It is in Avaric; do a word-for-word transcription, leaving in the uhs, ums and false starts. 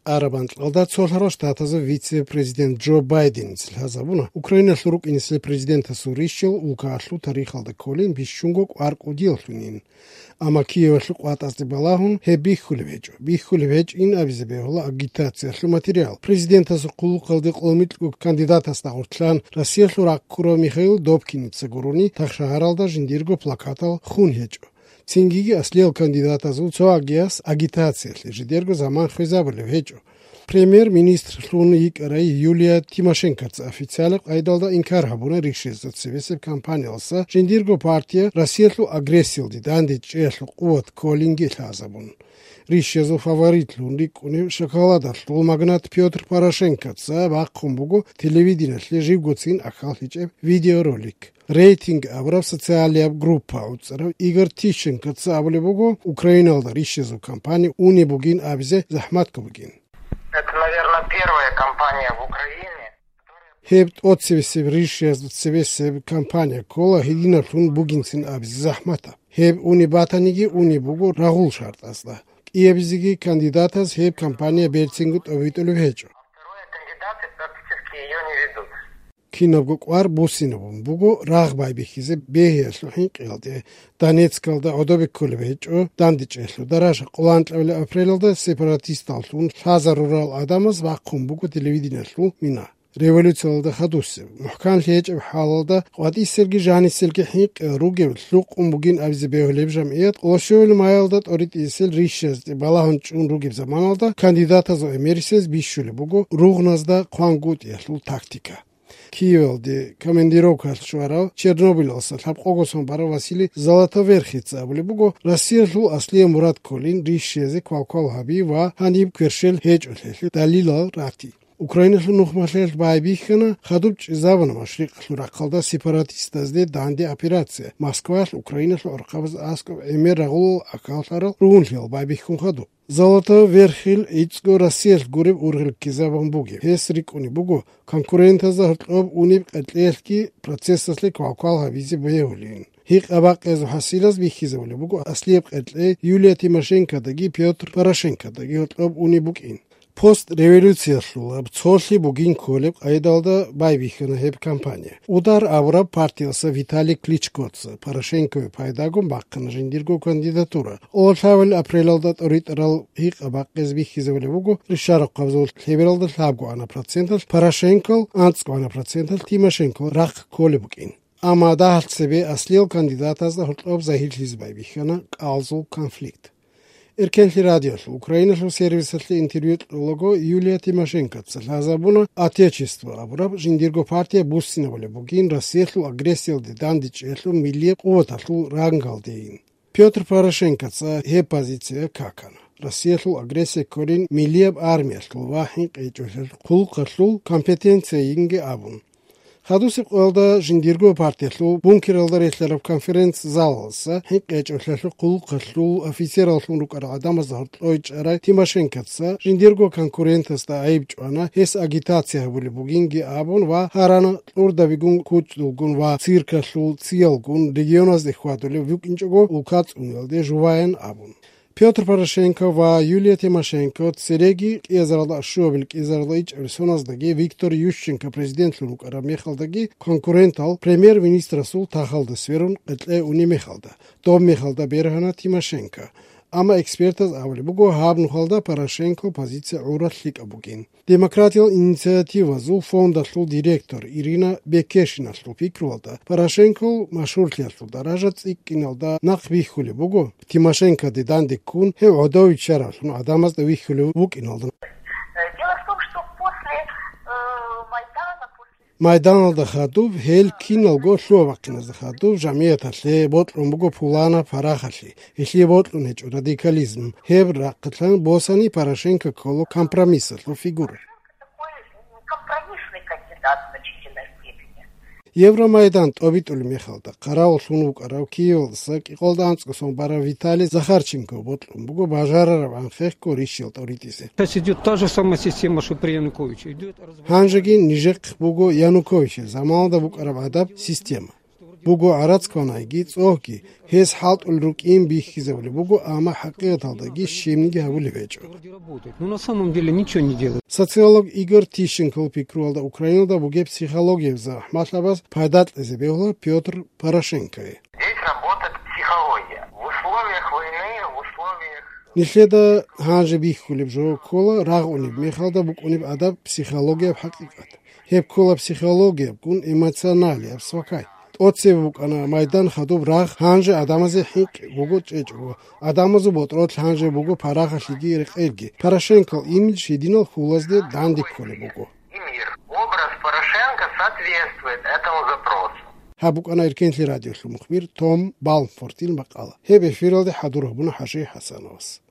Араб анкьалда Цолъарал Штатазул вице-президент Джо Байденица лъазабуна Украиналъул рукӀинесел президентасул рищал улкаялъул тарихалда кколин бищунго кӀвар кӀудияллъунин. Амма Киевалъул къватӀазде балагьун гьеб бихьулеб гьечӀо. Бихьулеб гьечӀин абизе бегьула агитациялъул материал. Президентасул хъулухъалде къоло микьго кандидатасда гъоркьан Россиялъул ракъ ккурав Михаил Добкиница гурони тахшагьаралда жиндирго плакатал хун гьечӀо. Цингиги аслиял кандидатазул цо агияс агитациялъе жидерго заман хвезабулеб гьечӀо. Премьер-министрлъун йикӀарай Юлия Тимошенкоца официалаб къайдалда инкар гьабуна рищезда цебесеб кампаниялдаса жиндирго партия Россиялъул агрессиялде дандечӀеялъул къуват кколинги лъазабун. Рищезул фаворитлъун рикӀкӀунев шоколадалъул магнат Пётр Порошенкоца бахъун буго телевидениялъе живгоцин ахьал гьечӀеб видеоролик. Рейтинг абураб социалияб группа гӀуцӀарав Игорь Тищенкоца абулеб буго, Украиналда рищезул кампания унеб бугин абизе захӀматго бугин. Это, наверное, первая кампания в Украине. Гьеб тӀоцебесеб рищезда цебесеб кампания ккола гьединаблъун бугинцин абизе захӀматаб. Гьеб унеб батаниги унеб буго рагъул шартӀазда. КӀиабизеги кандидатаз гьеб кампания берцинго тӀобитӀулеб гьечӀо. Второй кандидаты практически её не ведут. Кинабго кӀвар буссинабун буго рагъ байбихьизе бегьиялъул хӀинкъиялде. Донецкалда гӀодобе кколеб гьечӀо дандечӀеялъул даража. Къоло анкьабилеб апрелалда сепаратисталлъун лъазарурал гӀадамаз бахъун буго телевидениялъул мина. Революциялда хадусеб, мухӀканлъи гьечӀеб хӀалалда къватӀиселги жаниселги хӀинкъи ругев лъукъун бугин абизе бегьулеб жамгӀият къоло щуабилеб майалда тӀоритӀисел рищазде балагьун чӀун ругеб заманалда кандидатазул гӀемерисез бищулеб буго ругъназда хъвангутӀиялъул тактика. Киевалде командировкаялъ щварав Чернобылалъа лъабкъого сон барав Василий Золотоверхица абулеб буго, Россиялъул аслияб мурад кколин рищезе квалквал гьаби ва гьаниб кверщел гьечӀолъиялъе далилал рати. Украиналъул нухмалъиялъ байбихьана, хадуб чӀезабуна Машрикъалъул рахъалда сепаратистазде данде операция. Москваялъ Украиналъул гӀурхъабаз аскӀоб гӀемер рагъулал акаллъарал ругьунлъиялъ байбихьун хадуб. Золотоверхил гӀицӀго Россиялъ гуреб ургъел ккезабун бугеб. Гьес рикӀкӀунеб буго конкурентазда гьоркьоб унеб къеркьеялъги процессалъе квалквал гьабизе бегьулин. Гьикъа-бакъиязул хӀасилаз бихьизабулеб буго аслияб къеркьей Юлия Тимошенкодаги Пётр Порошенкодаги гьоркьоб унеб букӀин. Постреволюциялъулаб цолъи бугин кколеб къайдалда байбихьана гьеб кампания. Удар абураб партиялъа Виталий Кличкоца Порошенкове пайдагун бахъана жиндирго кандидатура. Къоло лъабабилеб апрелалда тӀоритӀарал гьикъа-бакъиз бихьизабулеб буго, ришарахъабазул лъебералда лъабгоана проценталъ Порошенкол, анцӀгоана проценталъ Тимошенкол рахъ кколеб букӀин. Амма дагьалъ цебе аслиял кандидатазда гьоркьоб загьирлъизе байбихьана кӀалзул конфликт. Эркенлъи радиолъул Украиналъул сервисалъе интервью кьолаго Юлия Тимошенкоца лъазабуна Отечество абураб жиндирго партия буссинабулеб бугин Россиялъул агрессиялде дандечӀеялъул миллияб къуваталъул рангалдейин. Пётр Порошенкоца гьеб позиция какана, Россиялъул агрессия кколин миллияб армиялъул ва хӀинкъичӀолъиялъул хъулухъалъул компетенциейинги абун. Хадусеб къоялда жиндирго партиялъул бункералда релълъараб конференц-залалъа хӀинкъичӀолъиялъул хъулухъалъул офицераллъун рукӀарал гӀадамазда гьоркьой чӀарай Тимошенкоца жиндирго конкурентасда гӀайиб чӀвана, гьес агитация гьабулеб бугинги абун ва гьарана кьурдабигун, кучӀдулгун ва циркалъул циялгун регионазде хьвадулев вукӀинчӀого улка цӀуниялде жуваян абун. Пётр Порошенко ва Юлия Тимошенко цереги кӀиазаралда щуабил, кӀиазаралда ичӀабил соназдаги Виктор Ющенко президентлъун вукӀараб мехалдаги конкурентал премьер-министрасул тахалда сверун къеркьей унеб мехалда, доб мехалда бергьана Тимошенко. Амма экспертаз абулеб буго, гьаб нухалда Порошенко позиция гӀурал лъикӀаб бугин. Демократиял инициативазул фондалъул директор Ирина Бекешиналъул пикруялда, Порошенкол машгьурлъиялъул даража цӀикӀкӀиналда нахъ бихьулеб буго, Тимошенкоде данде ккун, гьев гӀодов виччаравлъун гӀадамазда вихьулев вукӀиналда. Дело в том, что после, э, Майдана, после Майданалда хадуб, гьел киналго лъугьа-бахъиназда хадуб, жамгӀияталъе бокьун буго пуланаб парахалъи, гьелъие бокьун гьечӀо радикализм. Гьеб рахъалъан босани Порошенко ккола компромиссалъул фигура. Такой компромиссный кандидат в значительной степени. Евромайдан тӀобитӀулеб мехалда, хъаравуллъун вукӀарав Киевалдаса кӀикъоялда анцӀго сон барав Виталий Захарченко бокьун буго бажарараб анхъехго рищал тӀоритӀизе. Сейчас идёт та же самая система, что при Януковиче. Идёт развал. Гьанжеги нижехъ буго Януковичил заманалда букӀараб гӀадаб система. Буго гӀарац кванайги, цӀогьги, гьес хӀалтӀул рукӀин бихьизабулеб буго, амма хӀакъикъаталдаги щибниги гьабулеб гьечӀо. Ну, на самом деле ничего не делает. Социолог Игорь Тищенкол пикруялда Украинада бугеб психологияб захӀмалъабаз пайда кьезе бегьула Пётр Порошенкое. Здесь работает психология. В условиях войны, в условиях... Нилъеда гьанже бихьулеб жо ккола рагъунеб мехалда букӀунеб адаб психологияб хӀакъикъат. Гьеб ккола психологиябгун эмоционалияб свакай. ТӀоцебе букӀана майдан хадуб рагъ, гьанже адамазе хӀинкъи буго чӀечӀого. Адамазул ботӀролъ гьанже буго парагъалъиги рекъелги. Порошенкол имидж гьединал хьулазде данде кколеб буго. И мир. Образ Порошенко соответствует этому запросу. Гьаб букӀана Эркенлъи радиолъул мухбир Том Балмфортил макъала. Гьеб эфиралде хӀадур гьабуна ХӀажи ХӀасановас.